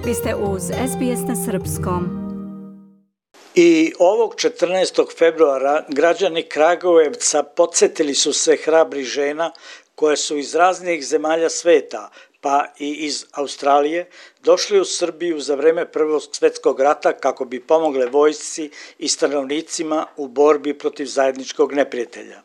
Vi ste uz SBS na srpskom. I ovog 14. februara građani Kragujevca podsjetili su se hrabrih žena koje su iz raznih zemalja sveta, pa i iz Australije, došli u Srbiju za vreme Prvog svjetskog rata kako bi pomogle vojsci i stanovnicima u borbi protiv zajedničkog neprijatelja.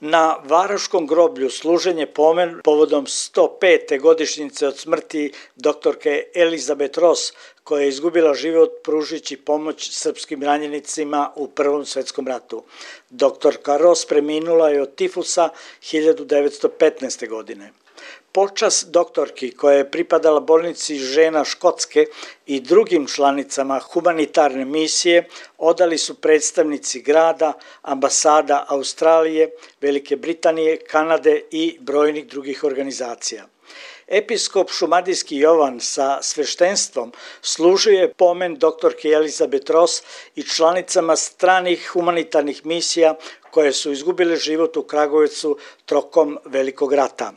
Na Varoškom groblju služenje pomen povodom 105. godišnjice od smrti doktorke Elizabeth Ross, koja je izgubila život pružujući pomoć srpskim ranjenicima u Prvom svjetskom ratu. Doktorka Ross preminula je od tifusa 1915. godine. Počast doktorki koja je pripadala bolnici žena Škotske i drugim članicama humanitarne misije odali su predstavnici grada, ambasada Australije, Velike Britanije, Kanade i brojnih drugih organizacija. Episkop šumadijski Jovan sa sveštenstvom služio je pomen doktorke Elizabeth Ross i članicama stranih humanitarnih misija koje su izgubile život u Kragujevcu tokom Velikog rata.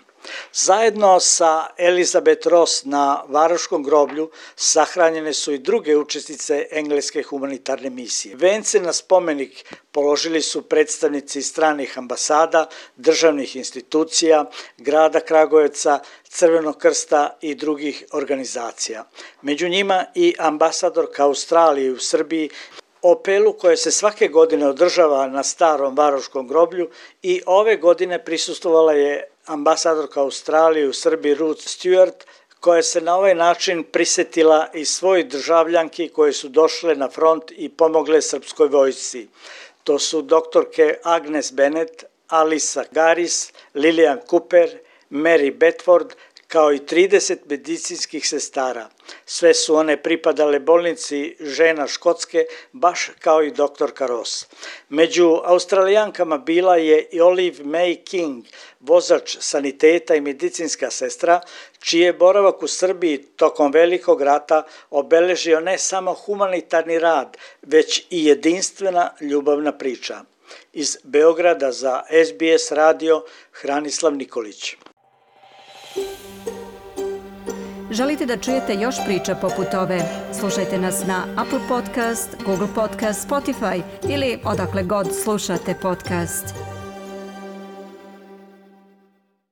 Zajedno sa Elizabeth Ross na Varoškom groblju sahranjene su i druge učesnice engleske humanitarne misije. Vence na spomenik položili su predstavnici stranih ambasada, državnih institucija, grada Kragujevca, Crvenog krsta i drugih organizacija. Među njima i ambasadorka Australije u Srbiji, Opelu koje se svake godine održava na starom Varoškom groblju, i ove godine prisustvovala je ambasadorka Australije u Srbiji Ruth Stewart, koja se na ovaj način prisjetila i svojih državljanki koje su došle na front i pomogle srpskoj vojsci. To su doktorke Agnes Bennett, Alisa Garis, Lilian Cooper, Mary Bedford, kao i 30 medicinskih sestara. Sve su one pripadale bolnici žena Škotske, baš kao i doktorka Ross. Među Australijankama bila je i Olive May King, vozač saniteta i medicinska sestra, čiji je boravak u Srbiji tokom Velikog rata obeležio ne samo humanitarni rad, već i jedinstvena ljubavna priča. Iz Beograda za SBS radio, Hranislav Nikolić. Želite da čujete još priča poput ove? Slušajte nas na Apple Podcast, Google Podcast, Spotify ili odakle god slušate podcast.